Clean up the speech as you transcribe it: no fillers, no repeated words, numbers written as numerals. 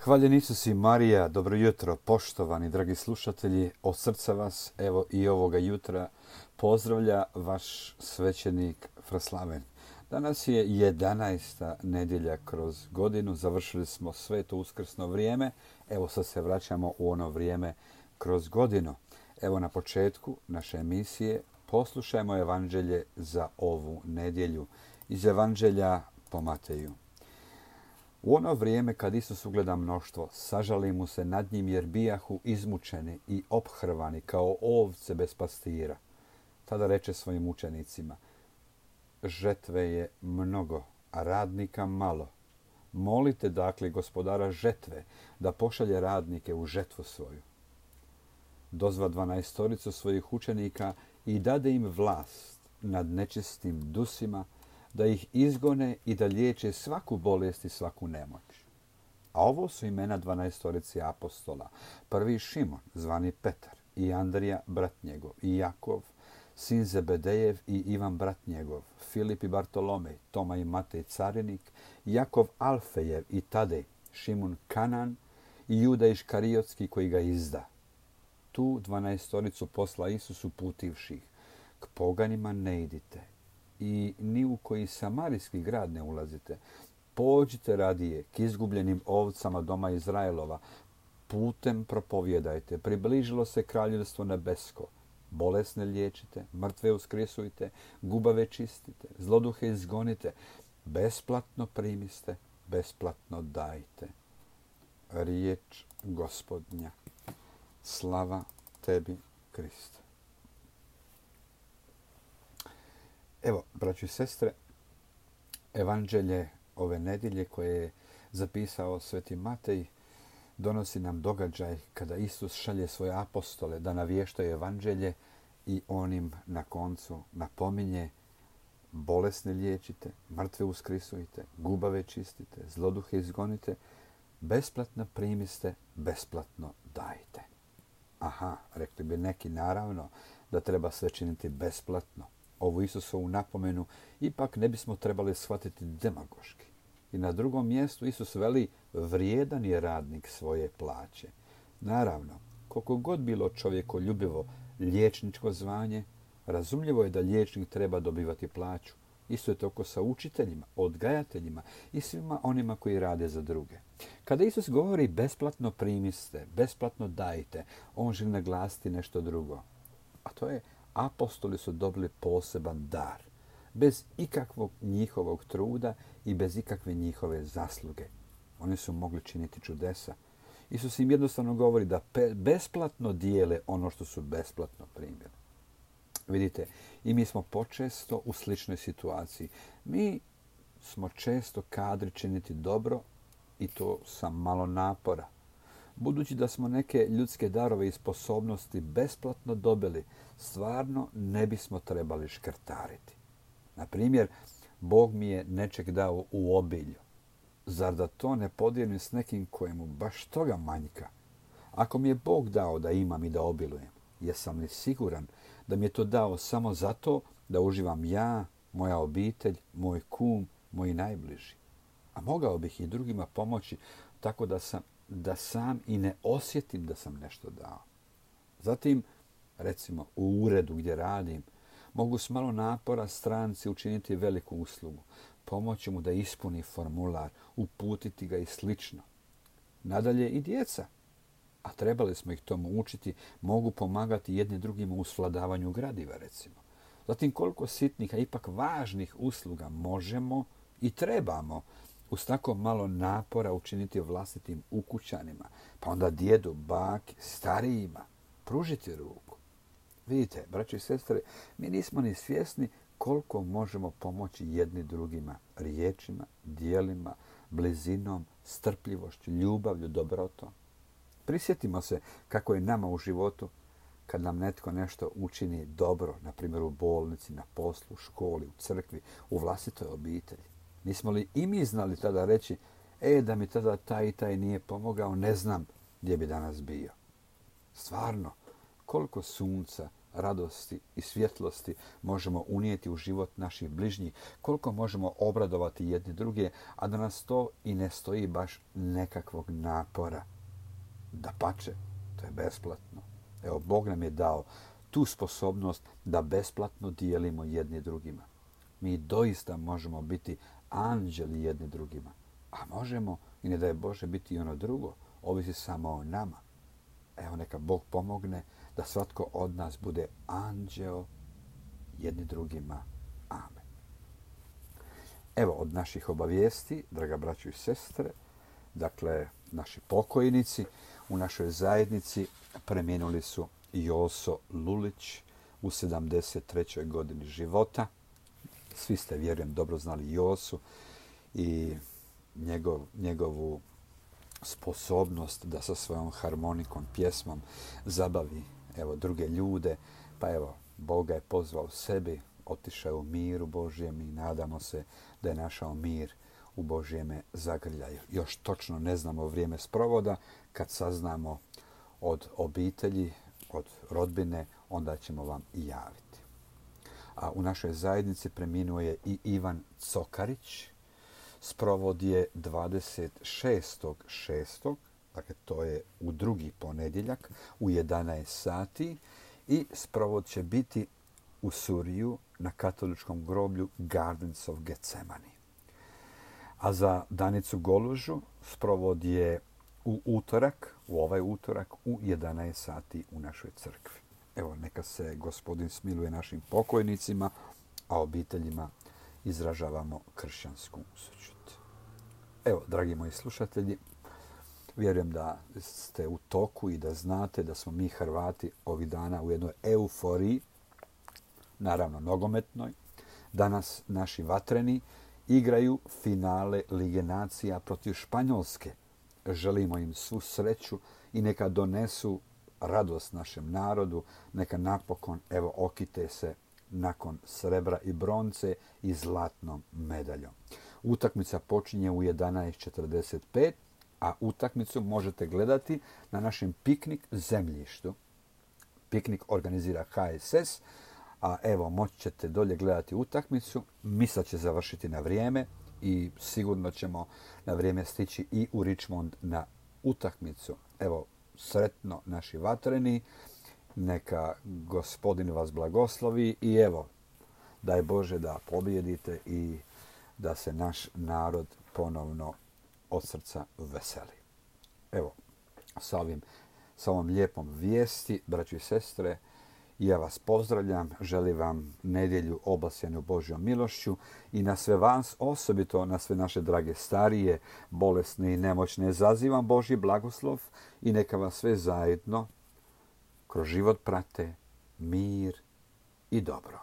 Hvaljen Isus i Marija, dobro jutro, poštovani dragi slušatelji, od srca vas, evo i ovoga jutra, pozdravlja vaš svećenik Fraslaven. Danas je 11. nedjelja kroz godinu, završili smo sveto uskrsno vrijeme, evo sad se vraćamo u ono vrijeme kroz godinu. Evo na početku naše emisije poslušajmo evanđelje za ovu nedjelju iz evanđelja po Mateju. U ono vrijeme kad Isus ugleda mnoštvo, sažali mu se nad njim jer bijahu izmučeni i ophrvani kao ovce bez pastira. Tada reče svojim učenicima: žetve je mnogo, a radnika malo. Molite dakle gospodara žetve da pošalje radnike u žetvu svoju. Dozva 12 svojih učenika i dade im vlast nad nečistim dusima, da ih izgone i da liječe svaku bolest i svaku nemoć. A ovo su imena 12 apostola. Prvi Šimon, zvani Petar, i Andrija, brat njegov, i Jakov, sin Zebedejev, i Ivan, brat njegov, Filip i Bartolomej, Toma i Matej carinik, Jakov Alfejev i Tadej, Šimun Kanan i Juda Iškariotski koji ga izda. Tu 12 posla Isus uputivših: k poganima ne idite i ni u koji samarijski grad ne ulazite. Pođite radije k izgubljenim ovcama doma Izraelova. Putem propovjedajte. Približilo se kraljevstvo nebesko. Bolesne liječite, mrtve uskresujte, gubave čistite, zloduhe izgonite. Besplatno primiste, besplatno dajte. Riječ Gospodnja. Slava tebi, Kriste. Evo, braćo i sestre, evanđelje ove nedjelje koje je zapisao sveti Matej donosi nam događaj kada Isus šalje svoje apostole da navještaju evanđelje i on im na koncu napominje: bolesne liječite, mrtve uskrisujte, gubave čistite, zloduhe izgonite, besplatno primiste, besplatno dajte. Aha, rekli bi neki naravno da treba sve činiti besplatno. Ovu Isusovu napomenu ipak ne bismo trebali shvatiti demagoški. I na drugom mjestu Isus veli: vrijedan je radnik svoje plaće. Naravno, koliko god bilo čovjekoljubivo liječničko zvanje, razumljivo je da liječnik treba dobivati plaću. Isto je tako sa učiteljima, odgajateljima i svima onima koji rade za druge. Kada Isus govori besplatno primiste, besplatno dajte, on želi naglasiti nešto drugo. A to je: apostoli su dobili poseban dar, bez ikakvog njihovog truda i bez ikakve njihove zasluge. Oni su mogli činiti čudesa. Isus im jednostavno govori da besplatno dijele ono što su besplatno primili. Vidite, i mi smo počesto u sličnoj situaciji. Mi smo često kadri činiti dobro i to sa malo napora. Budući da smo neke ljudske darove i sposobnosti besplatno dobili, stvarno ne bismo trebali škrtariti. Na primjer, Bog mi je nečeg dao u obilju. Zar da to ne podijelim s nekim kojemu baš toga manjka? Ako mi je Bog dao da imam i da obilujem, jesam li siguran da mi je to dao samo zato da uživam ja, moja obitelj, moj kum, moji najbliži? A mogao bih i drugima pomoći tako da sam i ne osjetim da sam nešto dao. Zatim, recimo, u uredu gdje radim, mogu s malo napora stranci učiniti veliku uslugu, pomoći mu da ispuni formular, uputiti ga i slično. Nadalje i djeca, a trebali smo ih tomu učiti, mogu pomagati jedni drugima u svladavanju gradiva, recimo. Zatim, koliko sitnih, a ipak važnih usluga možemo i trebamo uz tako malo napora učiniti vlastitim ukućanima, pa onda djedu, baki, starijima, pružiti ruku. Vidite, braći i sestre, mi nismo ni svjesni koliko možemo pomoći jedni drugima riječima, djelima, blizinom, strpljivošću, ljubavlju, dobrotom. Prisjetimo se kako je nama u životu kad nam netko nešto učini dobro, na primjer u bolnici, na poslu, u školi, u crkvi, u vlastitoj obitelji. Nismo li i mi znali tada reći: da mi tada taj i taj nije pomogao, ne znam gdje bi danas bio. Stvarno, koliko sunca radosti i svjetlosti možemo unijeti u život naših bližnjih, koliko možemo obradovati jedni druge, a da nas to i ne stoji baš nekakvog napora. Dapače, to je besplatno. Evo, Bog nam je dao tu sposobnost da besplatno dijelimo jedni drugima. Mi doista možemo biti anđeli jedni drugima. A možemo, i ne daj Bože, biti i ono drugo. Ovisi samo o nama. Evo, neka Bog pomogne da svatko od nas bude anđeo jedni drugima. Amen. Evo, od naših obavijesti, draga braćo i sestre, dakle, naši pokojnici u našoj zajednici preminuli su Joso Lulić u 73. godini života. Svi ste, vjerujem, dobro znali Josu i njegovu sposobnost da sa svojom harmonikom, pjesmom zabavi druge ljude. Pa evo, Bog ga je pozvao sebi, otišao u miru Božjem i nadamo se da je našao mir u Božjeme zagrljaju. Još točno ne znamo vrijeme sprovoda. Kad saznamo od obitelji, od rodbine, onda ćemo vam i javiti. A u našoj zajednici preminuo je i Ivan Cokarić. Sprovod je 26.6. Dakle, to je u drugi ponedjeljak u 11 sati. I sprovod će biti u Suriju na katoličkom groblju Gardens of Gethsemane. A za Danicu Golužu sprovod je u ovaj utorak u 11 sati u našoj crkvi. Evo, neka se Gospodin smiluje našim pokojnicima, a obiteljima izražavamo kršćansku sućut. Evo, dragi moji slušatelji, vjerujem da ste u toku i da znate da smo mi Hrvati ovih dana u jednoj euforiji, naravno nogometnoj. Danas naši vatreni igraju finale Lige nacija protiv Španjolske. Želimo im svu sreću i neka donesu radost našem narodu, neka napokon okite se nakon srebra i bronce i zlatnom medaljom. Utakmica počinje u 11:45, a utakmicu možete gledati na našem piknik zemljištu. Piknik organizira HSS, a evo, moći ćete dolje gledati utakmicu. Misa će završiti na vrijeme i sigurno ćemo na vrijeme stići i u Richmond na utakmicu. Evo, sretno naši vatreni, neka Gospodin vas blagoslovi i evo, daj Bože da pobijedite i da se naš narod ponovno od srca veseli. Evo, sa ovom lijepom vijesti, braći i sestre, ja vas pozdravljam, želim vam nedjelju obasjanu Božjom milošću i na sve vas, osobito na sve naše drage starije, bolesne i nemoćne, zazivam Božji blagoslov i neka vas sve zajedno kroz život prate mir i dobro.